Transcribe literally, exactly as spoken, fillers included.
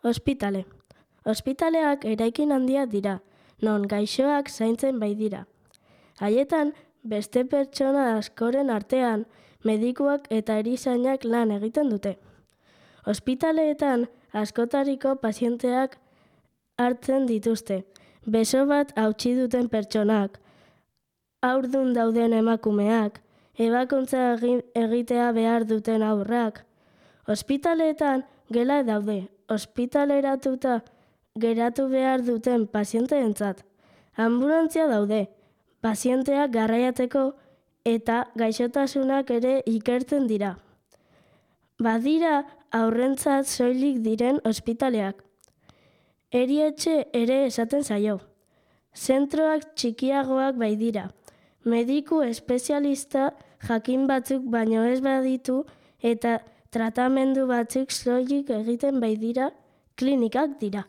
Ospitale. Ospitaleak eraikin handiak dira, non gaixoak zaintzen baitira. Haietan, beste pertsona askoren artean, medikuak eta erizainak lan egiten dute. Ospitaleetan, askotariko pazienteak hartzen dituzte. Beso bat hautsi duten pertsonak, haurdun dauden emakumeak, ebakuntza egitea behar duten haurrak. Ospitaleetan gela daude, ospitaleratuta geratu behar duten pazienteentzat. Anbulantzia daude, pazienteak garraiatzeko eta gaixotasunak ere ikertzen dira. Badira haurrentzat soilik diren ospitaleak. Erietxe ere esaten zaio. Zentroak txikiagoak baitira. Mediku espezialista jakin batzuk baino ez baditu eta tratamendu batzuk soilik egiten baitira klinikak dira.